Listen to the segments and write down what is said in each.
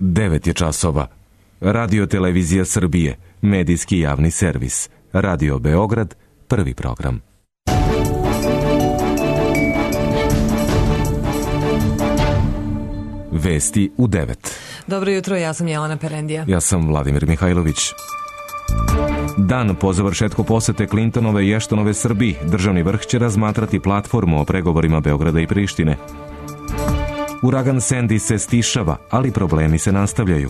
9 je časova. Radio Televizija Srbije, medijski javni servis. Radio Beograd, prvi program. Vesti u 9. Dobro jutro, ja sam Jelena Perendija. Ja sam Vladimir Mihajlović. Dan po završetku posete Clintonove i Ashtonove Srbiji, državni vrh će razmatrati platformu o pregovorima Beograda i Prištine. Uragan Sandy se stišava, ali problemi se nastavljaju.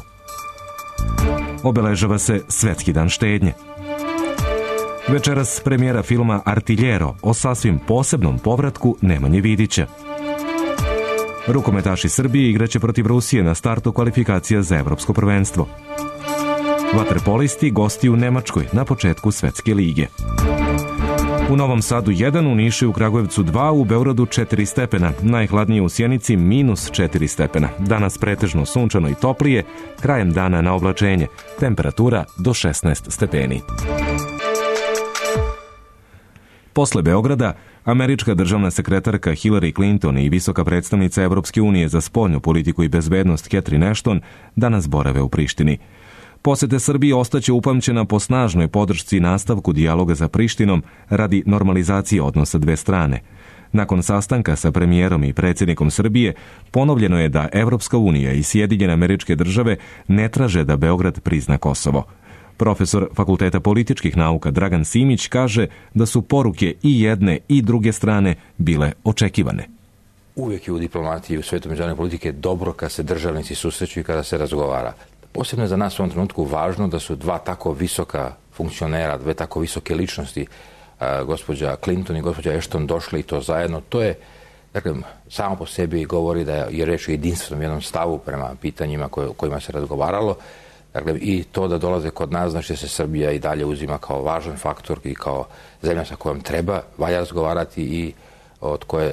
Obeležava se Svetski dan štednje. Večeras premijera filma Artiljero o sasvim posebnom povratku Nemanje Vidića. Rukometaši Srbije igraće protiv Rusije na startu kvalifikacija za evropsko prvenstvo. Vaterpolisti gosti u Nemačkoj na početku Svetske lige. U Novom Sadu 1, u Nišu i u Kragujevcu 2, u Beogradu 4 stepena, najhladnije u Sjenici -4 stepena. Danas pretežno sunčano i toplije, krajem dana na oblačenje, temperatura do 16 stepeni. Posle Beograda, američka državna sekretarka Hillary Clinton i visoka predstavnica Evropske unije za spoljnu politiku i bezbednost Catherine Ashton danas borave u Prištini. Posete Srbije ostaće upamćena po snažnoj podršci i nastavku dijaloga sa Prištinom radi normalizacije odnosa dve strane. Nakon sastanka sa premijerom i predsjednikom Srbije, ponovljeno je da Evropska unija i Sjedinjene Američke Države ne traže da Beograd prizna Kosovo. Profesor Fakulteta političkih nauka Dragan Simić kaže da su poruke i jedne i druge strane bile očekivane. Uvijek je u diplomatiji i u svetu međunarodne politike dobro kad se državnici susreću i kada se razgovara. Posebno je za nas u ovom trenutku važno da su dva tako visoka funkcionera, dve tako visoke ličnosti, gospođa Clinton i gospođa Ashton, došli i to zajedno. To je, dakle, samo po sebi govori da je reč o jedinstvenom jednom stavu prema pitanjima kojima se razgovaralo. Dakle, i to da dolaze kod nas, znači da se Srbija i dalje uzima kao važan faktor i kao zemlja sa kojom valja razgovarati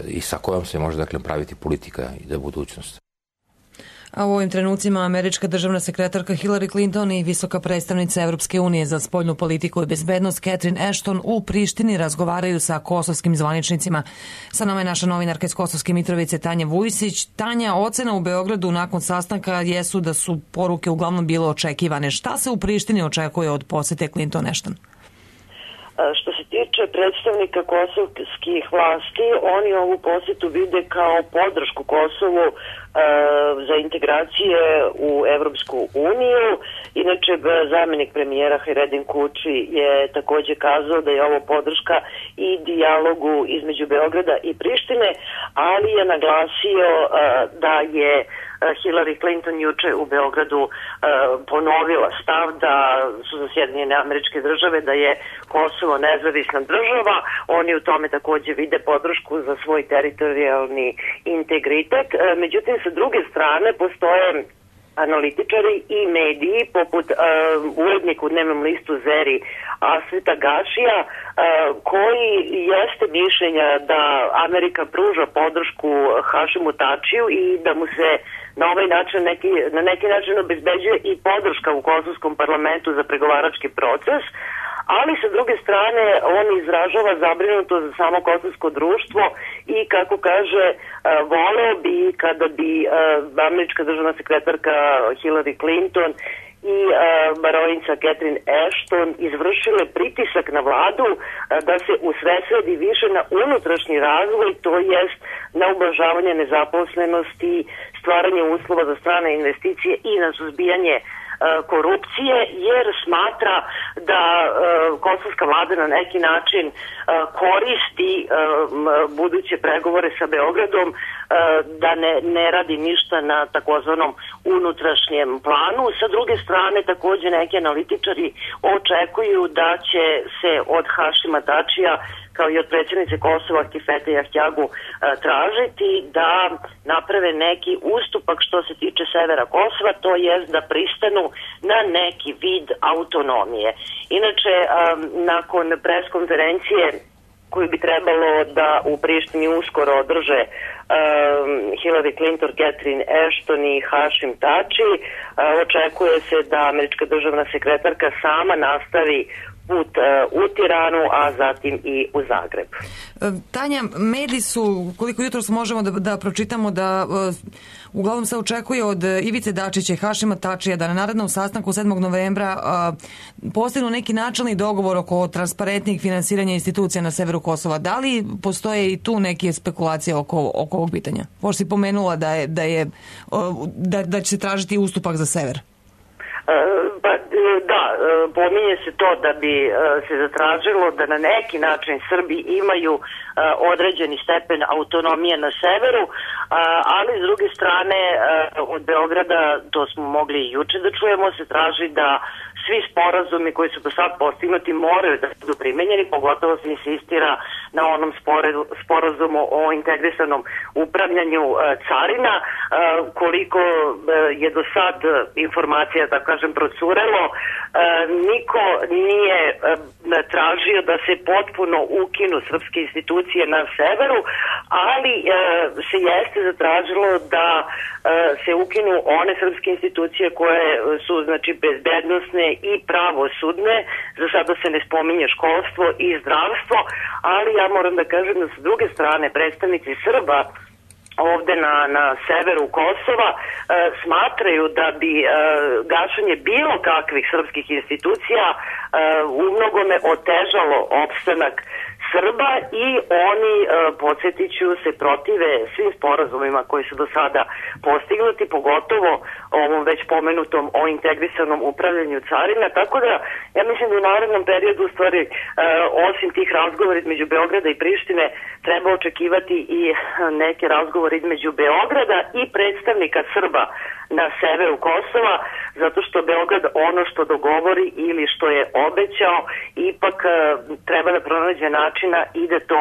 i sa kojom se može, dakle, praviti politika i za budućnost. A u ovim trenucima američka državna sekretarka Hillary Clinton i visoka predstavnica Evropske unije za spoljnu politiku i bezbednost Catherine Ashton u Prištini razgovaraju sa kosovskim zvaničnicima. Sa nama je naša novinarka iz Kosovske Mitrovice Tanja Vujsić. Tanja, ocena u Beogradu nakon sastanka jesu da su poruke uglavnom bile očekivane. Šta se u Prištini očekuje od posete Clinton-Ashton? Što se tiče predstavnika kosovskih vlasti, oni ovu posetu vide kao podršku Kosovu za integracije u Evropsku uniju. Inače, zamjenik premijera Hajredin Kuči je također kazao da je ovo podrška i dijalogu između Beograda i Prištine, ali je naglasio da je Hillary Clinton juče u Beogradu ponovila stav da su za Sjedinjene Američke Države, da je Kosovo nezavisna država. Oni u tome također vide podršku za svoj teritorijalni integritet. Međutim, sa druge strane postoje analitičari i mediji poput urednika u dnevnom listu Zeri Asveta Gašija, koji jeste mišljenja da Amerika pruža podršku Hašimu Tačiju i da mu se na ovaj način na neki način obezbeđuje i podrška u kosovskom parlamentu za pregovarački proces, ali sa druge strane on izražava zabrinutost za samo kosovsko društvo i, kako kaže, voleo bi kada bi američka državna sekretarka Hillary Clinton i baronica Catherine Ashton izvršile pritisak na vladu da se usredsredi više na unutrašnji razvoj, to jest na ublažavanje nezaposlenosti, stvaranje uslova za strane investicije i na suzbijanje korupcije, jer smatra da kosovska vlada na neki način koristi buduće pregovore sa Beogradom, da ne radi ništa na takozvanom unutrašnjem planu. Sa druge strane, također neki analitičari očekuju da će se od Hašima Tačija, kao i od predsjednice Kosova Kifete Jahjagu, tražiti da naprave neki ustupak što se tiče severa Kosova, to jest da pristanu na neki vid autonomije. Inače, nakon preskonferencije koju bi trebalo da u Prištini uskoro održe Hillary Clinton, Catherine Ashton i Hašim Tači, očekuje se da američka državna sekretarka sama nastavi put u Tiranu, a zatim i u Zagreb. Tanja, mediji su, koliko jutros možemo da pročitamo, da uglavnom se očekuje od Ivice Dačića i Hašima Tačija da na narednom sastanku 7. novembra postignu neki načelni dogovor oko transparentnih finansiranja institucija na severu Kosova. Da li postoje i tu neke spekulacije oko ovog pitanja? Pošto si pomenula da će se tražiti ustupak za sever. Da, pominje se to da bi se zatražilo da na neki način Srbi imaju određeni stepen autonomije na severu, ali s druge strane od Beograda, to smo mogli i juče da čujemo, se traži da svi sporazumi koji su do sad postignuti moraju da budu primenjeni, pogotovo se insistira na onom sporazumu o integrisanom upravljanju carina. Koliko je do sad informacija, da kažem, procurelo, niko nije tražio da se potpuno ukinu srpske institucije na severu, ali se jeste zatražilo da se ukinu one srpske institucije koje su, znači, bezbednosne i pravosudne. Za sada se ne spominje školstvo i zdravstvo, ali ja moram da kažem da s druge strane predstavnici Srba ovde na severu Kosova smatraju da bi gašenje bilo kakvih srpskih institucija u mnogome otežalo opstanak Srba i oni, podsjetit ću, se protive svim sporazumima koji su do sada postignuti, pogotovo ovom već pomenutom o integrisanom upravljanju carina, tako da ja mislim da u narednom periodu u stvari osim tih razgovora između Beograda i Prištine treba očekivati i neke razgovore između Beograda i predstavnika Srba na severu Kosova, zato što Beograd ono što dogovori ili što je obećao ipak treba da pronađe načina i da to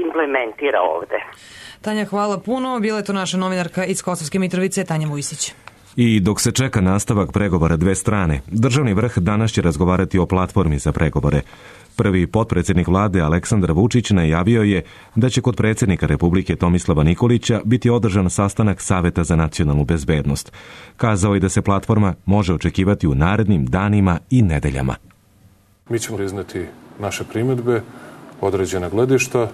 implementira ovde. Tanja, hvala puno. Bila je to naša novinarka iz Kosovske Mitrovice, Tanja Vujsić. I dok se čeka nastavak pregovora dve strane, državni vrh danas će razgovarati o platformi za pregovore. Prvi potpredsjednik vlade Aleksandar Vučić najavio je da će kod predsjednika Republike Tomislava Nikolića biti održan sastanak Saveta za nacionalnu bezbednost. Kazao je da se platforma može očekivati u narednim danima i nedeljama. Mi ćemo izneti naše primjedbe, određena gledišta.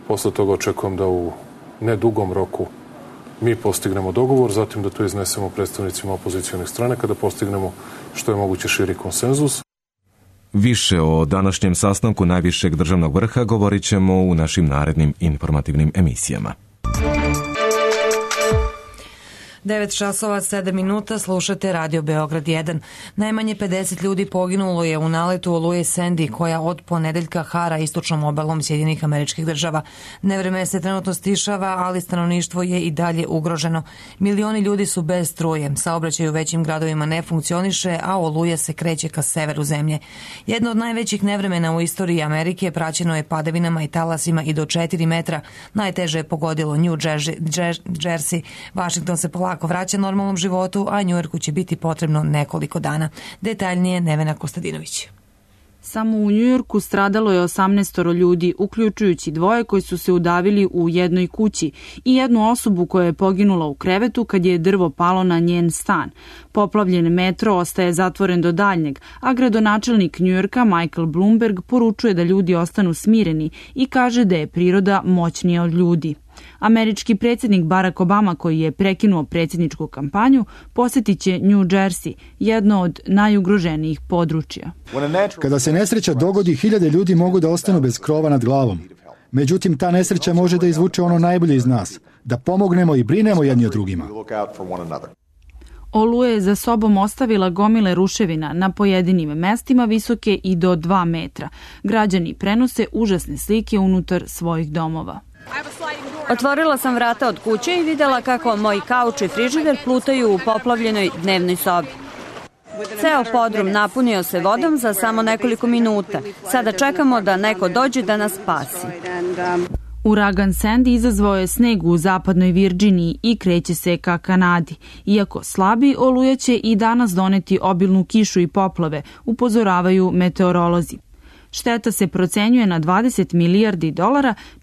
Posle toga očekujem da u nedugom roku mi postignemo dogovor, zatim da to iznesemo predstavnicima opozicionih strane kada postignemo što je moguće širi konsenzus. Više o današnjem sastanku najvišeg državnog vrha govorit ćemo u našim narednim informativnim emisijama. 9:07, slušate Radio Beograd 1. Najmanje 50 ljudi poginulo je u naletu oluje Sandy koja od ponedeljka hara istočnom obalom Sjedinjenih Američkih Država. Nevreme se trenutno stišava, ali stanovništvo je i dalje ugroženo. Milioni ljudi su bez struje, saobraćaj u većim gradovima ne funkcioniše, a oluja se kreće ka severu zemlje. Jedno od najvećih nevremena u istoriji Amerike praćeno je padavinama i talasima i do 4 metra. Najteže je pogodilo New Jersey. Washington se polako vraća normalnom životu, a Njujorku će biti potrebno nekoliko dana. Detaljnije Nevena Kostadinović. Samo u Njujorku stradalo je 18 ljudi, uključujući 2 koji su se udavili u jednoj kući i jednu osobu koja je poginula u krevetu kad je drvo palo na njen stan. Poplavljen metro ostaje zatvoren do daljnjeg, a gradonačelnik Njujorka Michael Bloomberg poručuje da ljudi ostanu smireni i kaže da je priroda moćnija od ljudi. Američki predsjednik Barack Obama, koji je prekinuo predsjedničku kampanju, posjetit će New Jersey, jedno od najugroženijih područja. Kada se nesreća dogodi, 1000 ljudi mogu da ostanu bez krova nad glavom. Međutim, ta nesreća može da izvuče ono najbolje iz nas, da pomognemo i brinemo jedni o drugima. Oluja je za sobom ostavila gomile ruševina na pojedinim mestima visoke i do 2 metra. Građani prenose užasne slike unutar svojih domova. Otvorila sam vrata od kuće i videla kako moji kauč i frižider plutaju u poplavljenoj dnevnoj sobi. Ceo podrum napunio se vodom za samo nekoliko minuta. Sada čekamo da neko dođe da nas spasi. Uragan Sandy izazvao je sneg u zapadnoj Virdžiniji i kreće se ka Kanadi. Iako slabi, oluja će i danas doneti obilnu kišu i poplave, upozoravaju meteorolozi. Šteta se procenjuje na $20 milijardi,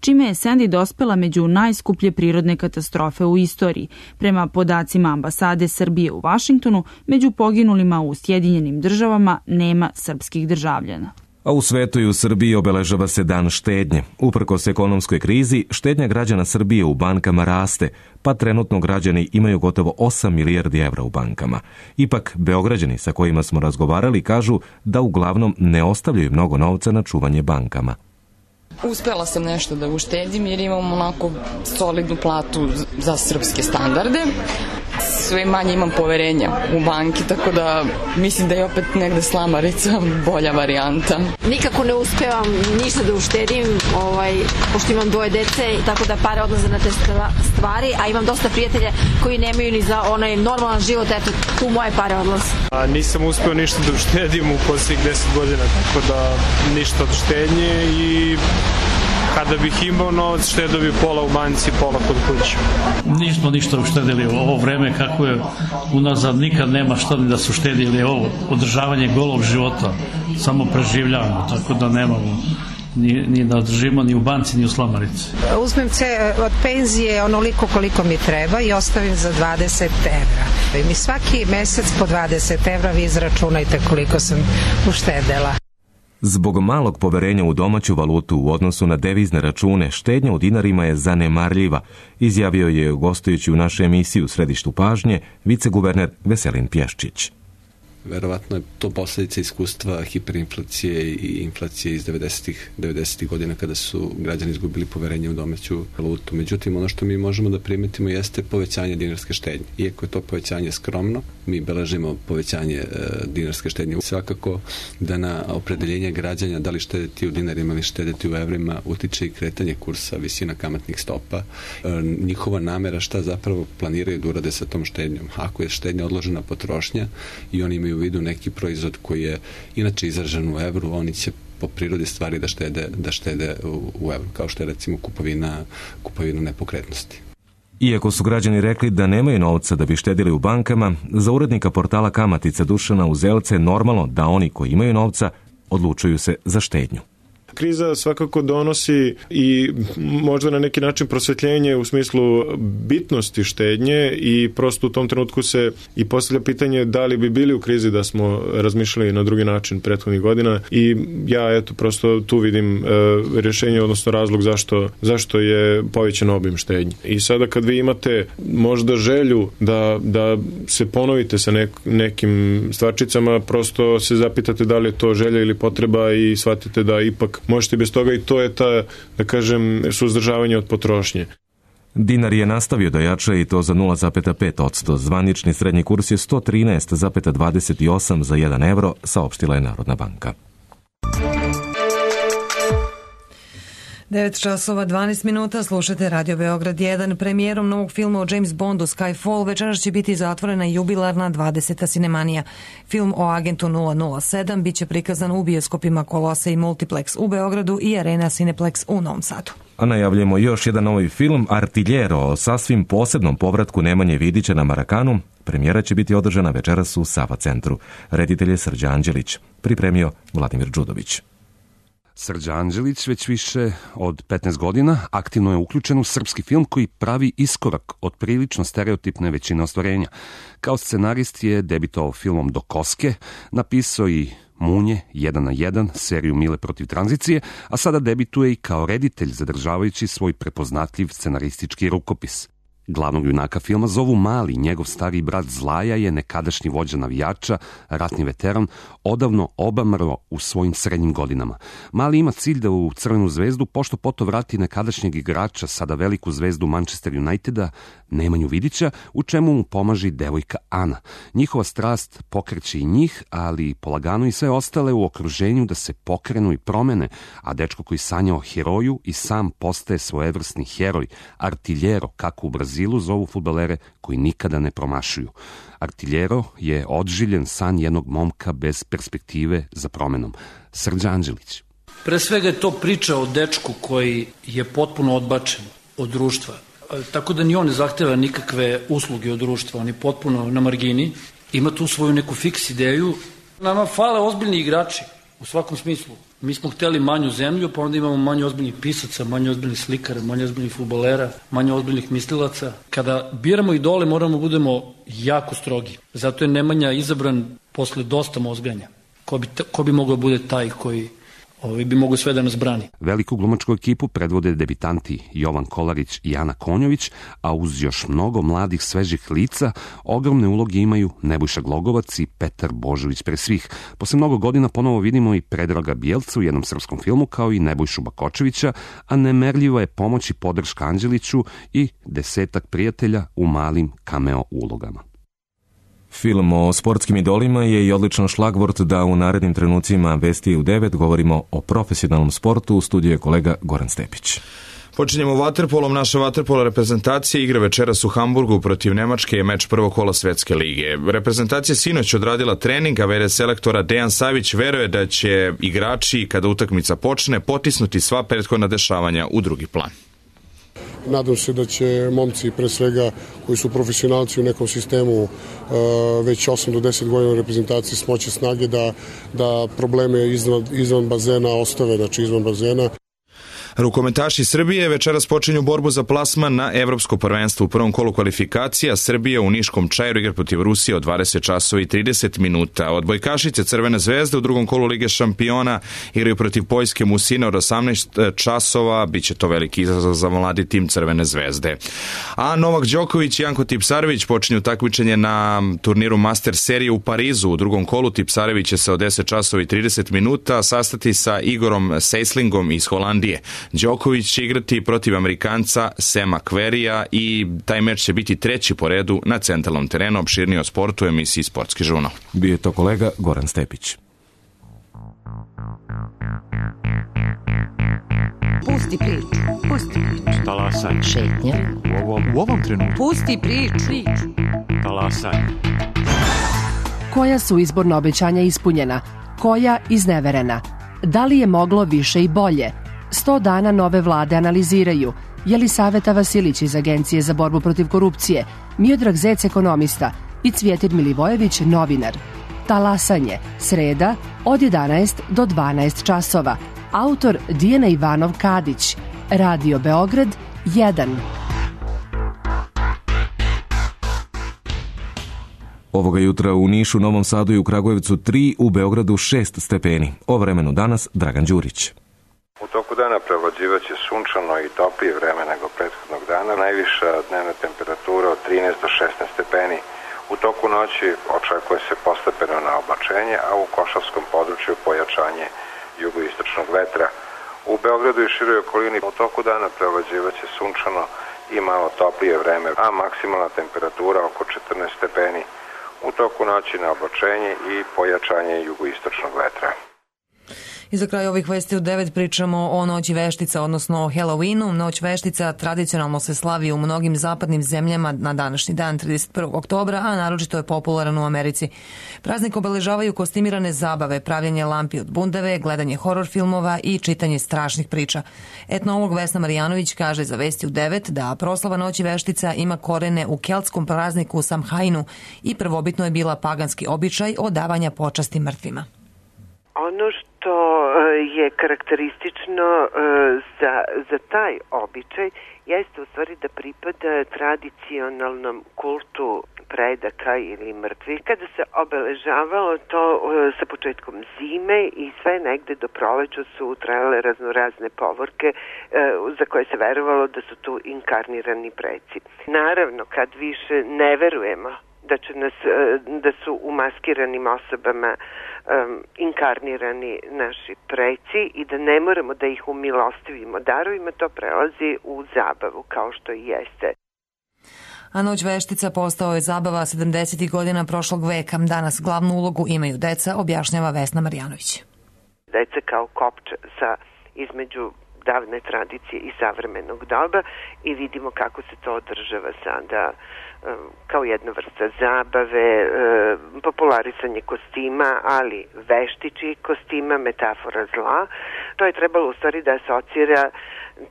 čime je Sandy dospela među najskuplje prirodne katastrofe u istoriji. Prema podacima ambasade Srbije u Vašingtonu, među poginulima u Sjedinjenim Državama nema srpskih državljana. A u svetu i u Srbiji obeležava se Dan štednje. Uprkos ekonomskoj krizi, štednja građana Srbije u bankama raste, pa trenutno građani imaju gotovo 8 milijardi evra u bankama. Ipak, Beograđani sa kojima smo razgovarali kažu da uglavnom ne ostavljaju mnogo novca na čuvanje bankama. Uspela sam nešto da uštedim jer imam onako solidnu platu za srpske standarde. Sve manje imam poverenja u banki, tako da mislim da je opet negde slamarica bolja varijanta. Nikako ne uspevam ništa da uštedim, pošto imam 2 dece, tako da pare odlaze na te stvari, a imam dosta prijatelja koji nemaju ni za onaj normalan život, eto, tu moje pare odlaze. Nisam uspeo ništa da uštedim u posljednjih 10 godina, tako da ništa od štednje i kada bih imao novac, štedio bi pola u banci, pola kod kuće. Nismo ništa uštedili u ovo vreme kako je unazad, nikad nema šta ni da su štedili ovo održavanje golog života, samo preživljavamo, tako da nemamo ni da održimo ni u banci ni u slamarici. Uzmem od penzije onoliko koliko mi treba i ostavim za 20 evra. I mi svaki mesec po 20 evra, vi izračunajte koliko sam uštedela. Zbog malog poverenja u domaću valutu u odnosu na devizne račune, štednja u dinarima je zanemarljiva, izjavio je gostujući u našoj emisiji U središtu pažnje viceguverner Veselin Pješčić. Verovatno je to posljedica iskustva hiperinflacije i inflacije iz 90. godina kada su građani izgubili poverenje u domaću valutu. Međutim, ono što mi možemo da primetimo jeste povećanje dinarske štednje. Iako je to povećanje skromno, mi beležimo povećanje dinarske štednje. Svakako da na opredeljenje građana da li štediti u dinarima ili štediti u evrima utiče i kretanje kursa, visina kamatnih stopa, njihova namera šta zapravo planiraju da urade sa tom štednjom. Ako je štednja odložena potrošnja i oni imaju u vidu neki proizvod koji je inače izražen u evru, oni će po prirodi stvari da štede u evru, kao što je recimo kupovina nepokretnosti. Iako su građani rekli da nemaju novca da bi štedili u bankama, za urednika portala Kamatica Dušana Uzelce je normalno da oni koji imaju novca odlučuju se za štednju. Kriza svakako donosi i možda na neki način prosvetljenje u smislu bitnosti štednje i prosto u tom trenutku se i postavlja pitanje da li bi bili u krizi da smo razmišljali na drugi način prethodnih godina i ja prosto tu vidim rješenje, odnosno razlog zašto je povećan obim štednje. I sada kad vi imate možda želju da se ponovite sa nekim stvarčicama, prosto se zapitate da li je to želja ili potreba i shvatite da ipak možete bez toga i to je ta, da kažem, suzdržavanje od potrošnje. Dinar je nastavio da jača i to za 0,5%. Zvanični srednji kurs je 113,28 za 1 evro, saopštila je Narodna banka. 9:12, slušate Radio Beograd 1. Premijerom novog filma o James Bondu Skyfall večeras će biti zatvorena jubilarna 20. sinemanija. Film o agentu 007 biće prikazan u bioskopima Kolosej Multiplex u Beogradu i Arena Cineplex u Novom Sadu. A najavljamo još jedan novi film, Artiljero, o sasvim posebnom povratku Nemanje Vidića na Marakanu. Premijera će biti održana večeras u Sava centru. Reditelj je Srđa Anđelić, pripremio Vladimir Đudović. Srđa Anđelić već više od 15 godina aktivno je uključen u srpski film koji pravi iskorak od prilično stereotipne većine ostvarenja. Kao scenarist je debitovao filmom Do koske, napisao i Munje 1 na 1, seriju Mile protiv tranzicije, a sada debituje i kao reditelj zadržavajući svoj prepoznatljiv scenaristički rukopis. Glavnog junaka filma zovu Mali, njegov stariji brat Zlaja je nekadašnji vođa navijača, ratni veteran, odavno obamro u svojim srednjim godinama. Mali ima cilj da u Crvenu zvezdu pošto poto vrati nekadašnjeg igrača, sada veliku zvezdu Manchester Uniteda, Nemanju Vidića, u čemu mu pomaže devojka Ana. Njihova strast pokreće i njih, ali polagano i sve ostale u okruženju da se pokrenu i promene, a dečko koji sanja o heroju i sam postaje svojevrsni heroj, artiljero, kako u Brazilu zovu fudbalere koji nikada ne promašuju. Artiljero je odživljen san jednog momka bez perspektive za promenom. Srđa Anđelić. Pre svega je to priča o dečku koji je potpuno odbačen od društva. Tako da ni on ne zahteva nikakve usluge od društva, on je potpuno na margini, ima tu svoju neku fiks ideju. Nama fale ozbiljni igrači, u svakom smislu. Mi smo hteli manju zemlju, pa onda imamo manje ozbiljnih pisaca, manje ozbiljnih slikara, manje ozbiljnih fudbalera, manje ozbiljnih mislilaca. Kada biramo idole moramo budemo jako strogi. Zato je Nemanja izabran posle dosta mozganja. Ko bi mogao bude taj bi mogo sve da nas brani. Veliku glumačku ekipu predvode debitanti Jovan Kolarić i Ana Konjović, a uz još mnogo mladih svežih lica ogromne uloge imaju Nebojša Glogovac i Petar Božović pre svih. Posle mnogo godina ponovo vidimo i Predraga Bjelca u jednom srpskom filmu, kao i Nebojšu Bakočevića, a nemerljiva je pomoć i podrška Anđeliću i 10 prijatelja u malim cameo ulogama. Film o sportskim idolima je i odličan šlagvort da u narednim trenucima Vesti u 9 govorimo o profesionalnom sportu. U studiju je kolega Goran Stepić. Počinjemo vaterpolom. Naša vaterpola reprezentacija igra večeras u Hamburgu protiv Nemačke, je meč prvog kola Svetske lige. Reprezentacija sinoć odradila trening, a v.d. selektora Dejan Savić veruje da će igrači, kada utakmica počne, potisnuti sva prethodna dešavanja u drugi plan. Nadam se da će momci, pre svega, koji su profesionalci u nekom sistemu već 8 do 10 godina u reprezentaciji, smoći snage da probleme izvan bazena ostave, znači izvan bazena. Rukometaši Srbije večeras počinju borbu za plasman na Evropsko prvenstvo. U prvom kolu kvalifikacija Srbija u Niškom Čairu igra protiv Rusije od 20 časova i 30 minuta. Odbojkašice Crvene zvezde u drugom kolu Lige šampiona igraju protiv Poljske Musina od 18 časova. Biće to veliki izazov za mladi tim Crvene zvezde. A Novak Đoković i Janko Tipsarević počinju takmičenje na turniru Master serije u Parizu. U drugom kolu Tipsarević će se od 10 časova i 30 minuta sastati sa Igorom Seislingom iz Holandije. Đoković će igrati protiv Amerikanca Sema Querrya i taj meč će biti treći po redu na centralnom terenu. Opširnije o sportu u emisiji Sportski žurnal. Bio je to kolega Goran Stepić. Pusti priču. Pusti priču. Talasaj. Šetnja. U ovom trenutku. Pusti priču. Talasaj. Koja su izborna obećanja ispunjena? Koja izneverena? Da li je moglo više i bolje? 100 dana nove vlade analiziraju. Jelisaveta Vasilić iz Agencije za borbu protiv korupcije, Miodrag Zec, ekonomista, i Cvjetin Milivojević, novinar. Talasanje, sreda, od 11 do 12 časova. Autor Dijana Ivanov Kadić. Radio Beograd 1. Ovoga jutra u Nišu, Novom Sadu i u Kragujevcu 3, u Beogradu 6 stepeni. O vremenu danas Dragan Đurić. U toku dana prevlađivaće sunčano i toplije vreme nego prethodnog dana. Najviša dnevna temperatura od 13 do 16 stepeni. U toku noći očekuje se postepeno naoblačenje, a u Košavskom području pojačanje jugoistočnog vetra. U Beogradu i široj okolini u toku dana prevlađivaće sunčano i malo toplije vreme, a maksimalna temperatura oko 14 stepeni. U toku noći naoblačenje i pojačanje jugoistočnog vetra. I za kraj ovih vesti u 9 pričamo o Noći veštica, odnosno o Halloweenu. Noć veštica tradicionalno se slavi u mnogim zapadnim zemljama na današnji dan, 31. oktobra, a naročito je popularan u Americi. Praznik obeležavaju kostimirane zabave, pravljenje lampi od bundeve, gledanje horor filmova i čitanje strašnih priča. Etnolog Vesna Marjanović kaže za Vesti u 9 da proslava Noći veštica ima korene u keltskom prazniku Samhainu i prvobitno je bila paganski običaj odavanja počasti mrtvima. Ono što je karakteristično za taj običaj jeste u stvari da pripada tradicionalnom kultu predaka ili mrtvih. Kada se obeležavalo to sa početkom zime i sve negde do proleća su trajale raznorazne povorke za koje se verovalo da su tu inkarnirani preci. Naravno, kad više ne verujemo da su u maskiranim osobama inkarnirani naši preci i da ne moramo da ih umilostivimo darovima, to prelazi u zabavu, kao što i jeste. A Noć veštica postao je zabava 70. godina prošlog veka. Danas glavnu ulogu imaju deca, objašnjava Vesna Marjanović. Deca kao kopča između davne tradicije i savremenog doba i vidimo kako se to održava sada kao jedna vrsta zabave, popularisanje kostima, ali veštičih kostima, metafora zla. To je trebalo u stvari da asocira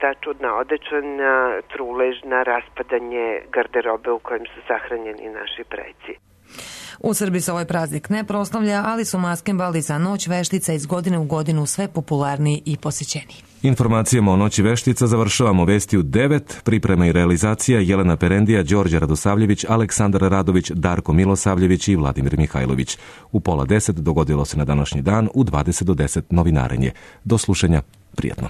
ta čudna odeća na trulež, na raspadanje garderobe u kojem su sahranjeni naši preci. U Srbiji se ovaj praznik ne proslavlja, ali su maskembali za Noć veštica iz godine u godinu sve popularniji i posjećeniji. Informacijama o Noći veštica završavamo vesti u 9, priprema i realizacija Jelena Perendija, Đorđe Radosavljević, Aleksandar Radović, Darko Milosavljević i Vladimir Mihajlović. U 9:30 dogodilo se na današnji dan, u 20 do 10 novinarenje. Do slušanja, prijatno.